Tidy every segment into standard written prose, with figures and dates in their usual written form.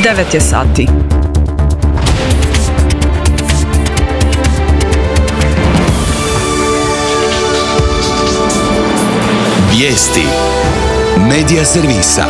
9 je sati. Vijesti Medija servisa.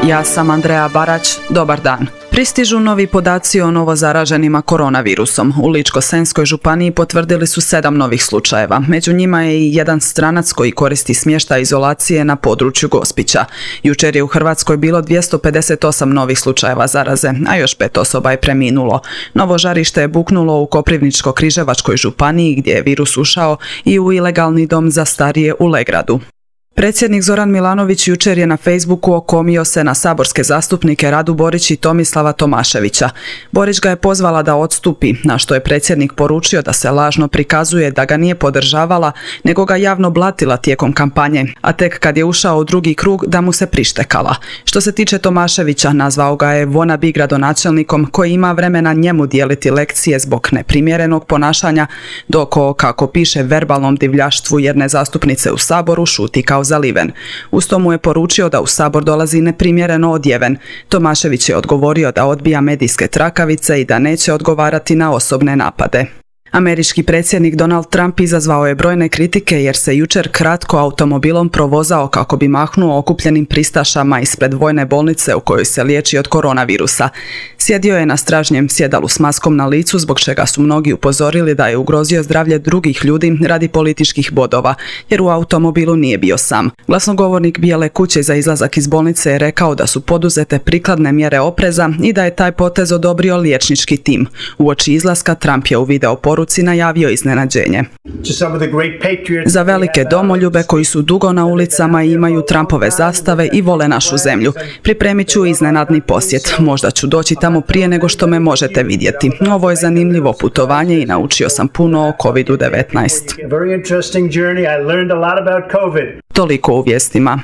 Ja sam Andreja Barać, dobar dan. Pristižu novi podaci o novozaraženima koronavirusom. U Ličko-senjskoj županiji potvrdili su 7 novih slučajeva. Među njima je i jedan stranac koji koristi smještaj izolacije na području Gospića. Jučer je u Hrvatskoj bilo 258 novih slučajeva zaraze, a još 5 osoba je preminulo. Novo žarište je buknulo u Koprivničko-križevačkoj županiji gdje je virus ušao i u ilegalni dom za starije u Legradu. Predsjednik Zoran Milanović jučer je na Facebooku okomio se na saborske zastupnike Radu Borić i Tomislava Tomaševića. Borić ga je pozvala da odstupi, na što je predsjednik poručio da se lažno prikazuje da ga nije podržavala, nego ga javno blatila tijekom kampanje, a tek kad je ušao u drugi krug da mu se prištekala. Što se tiče Tomaševića, nazvao ga je wannabe gradonačelnikom koji ima vremena njemu dijeliti lekcije zbog neprimjerenog ponašanja, dok o, kako piše, verbalnom divljaštvu jedne zastupnice u Saboru šuti kao zaliven. Uz to mu je poručio da u Sabor dolazi neprimjereno odjeven. Tomašević je odgovorio da odbija medijske trakavice i da neće odgovarati na osobne napade. Američki predsjednik Donald Trump izazvao je brojne kritike jer se jučer kratko automobilom provozao kako bi mahnuo okupljenim pristašama ispred vojne bolnice u kojoj se liječi od koronavirusa. Sjedio je na stražnjem sjedalu s maskom na licu, zbog čega su mnogi upozorili da je ugrozio zdravlje drugih ljudi radi političkih bodova, jer u automobilu nije bio sam. Glasnogovornik Bijele kuće za izlazak iz bolnice je rekao da su poduzete prikladne mjere opreza i da je taj potez odobrio liječnički tim. Uoči izlaska Trump je u video poruci najavio iznenađenje. Za velike domoljube koji su dugo na ulicama i imaju Trumpove zastave i vole našu zemlju, pripremit ću iznenadni posjet. Možda ću doći tamo prije nego što me možete vidjeti. Ovo je zanimljivo putovanje i naučio sam puno o COVID-19. Toliko u vijestima.